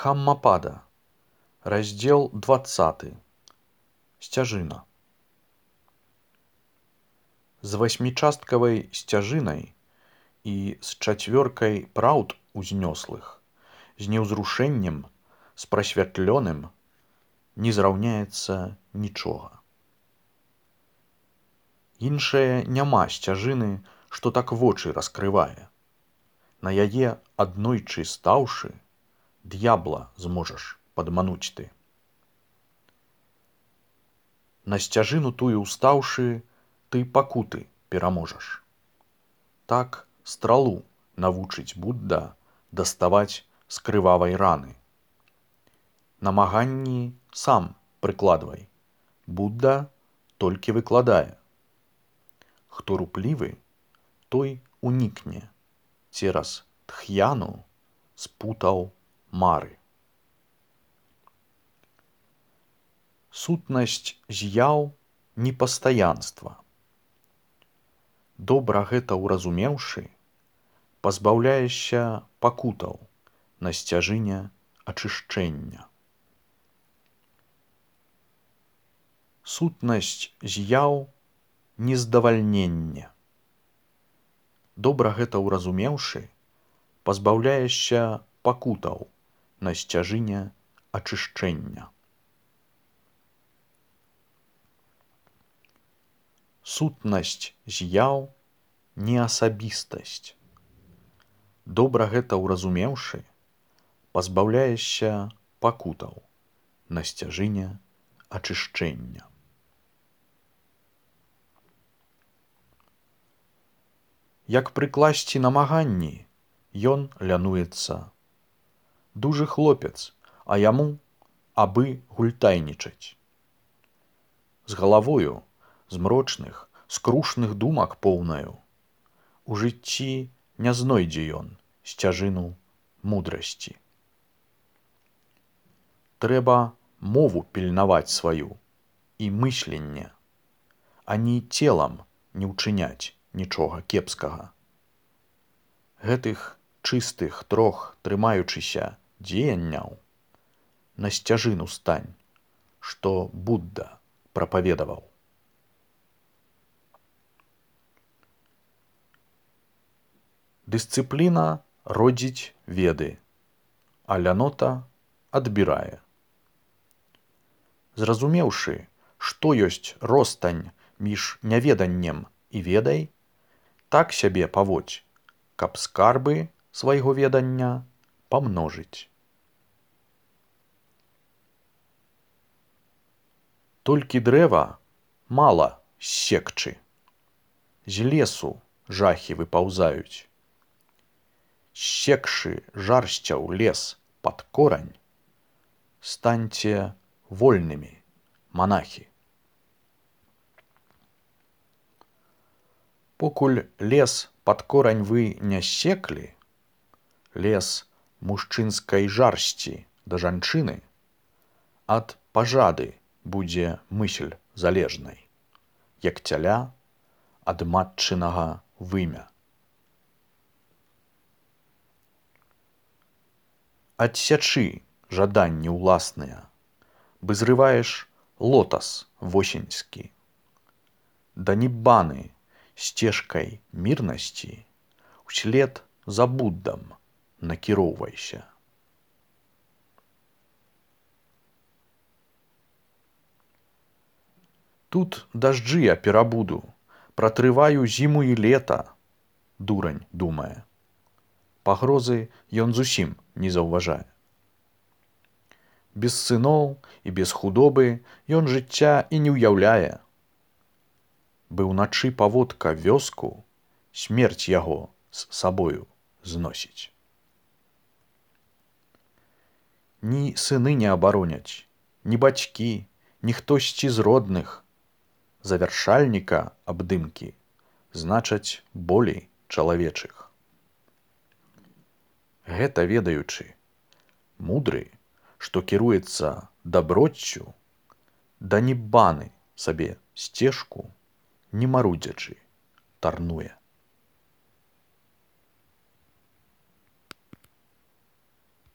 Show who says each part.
Speaker 1: Дхаммапада, раздзел 20. Сцяжына. З васьмічасткавай сцяжынай і з чацвёркай праўд узнёслых, з неўзрушэннем, з прасвятлёным не зраўняецца нічога. Іншае няма сцяжыны, што так вочы раскрывае. На яе аднойчы стаўшы, д'ябла зможаш падмануць ты. На сцяжыну тую ўстаўшы, ты пакуты пераможаш. Так стралу навучыць Будда даставаць з крывавай раны. Намаганні сам прыкладвай, Будда толькі выкладае. Хто руплівы, той унікне цераз тхьяну спутаў мары. Сутнасць з'яў непастаянства. Добра гэта ўразумеўшы, пазбаўляешся пакутаў на сцяжыне ачышчэння. Сутнасць з'яў нездавальненне. Добра гэта ўразумеўшы, пазбаўляешся пакутаў на сцяжыне ачышчэння. Сутнасць з'яў неасабістасць. Добра гэта ўразумеўшы, пазбаўляешся пакутаў на сцяжыне ачышчэння. Як прыкласці намаганні, ён лянуецца. Дужы хлопец, а яму абы гультайнічаць. З галавою, змрочных, скрушных думак поўнаю, у жыцці не знойдзе ён сцяжыну мудрасці. Трэба мову пільнаваць сваю і мысленне, а ні целам не ўчыняць нічога кепскага. Гэтых чыстых трох трымаючыся дзеянняў на сцяжыну стань, што Будда прапаведаваў. Дысцыпліна родзіць веды, а лянота адбірае. Зразумеўшы, што ёсць ростань між няведаннем і ведай, так сябе паводзь, каб скарбы свайго ведання памножыць. Толькі дрэва мала ссекчы, з лесу жахі выпаўзаюць. Ссекшы жарсцяў лес пад корань, станьце вольнымі, манахі. Покуль лес пад корань вы не ссеклі, лес мужчынскай жарсці да жанчыны, ад пажады будзе мысль залежнай, як цяля ад матчынага вымя. Адсячы жаданні ўласныя, бы зрываеш лотас восеньскі. Да ніббаны сцежкай мірнасці услед за Буддам накіроўвайся. Тут дажджы я перабуду, пратрываю зіму і лета, дурань думае. Пагрозы ён зусім не заўважае. Без сыноў і без худобы ён жыцця і не ўяўляе. Бы ўначы паводка вёску, смерць яго з сабою зносіць. Ні сыны не абароняць, ні бацькі, ні хтосьці з родных. Завяршальніка абдымкі значаць болей чалавечых. Гэта ведаючы, мудры, што кіруецца даброццю, да ніббаны сабе сцежку, не марудзячы, тарнуе.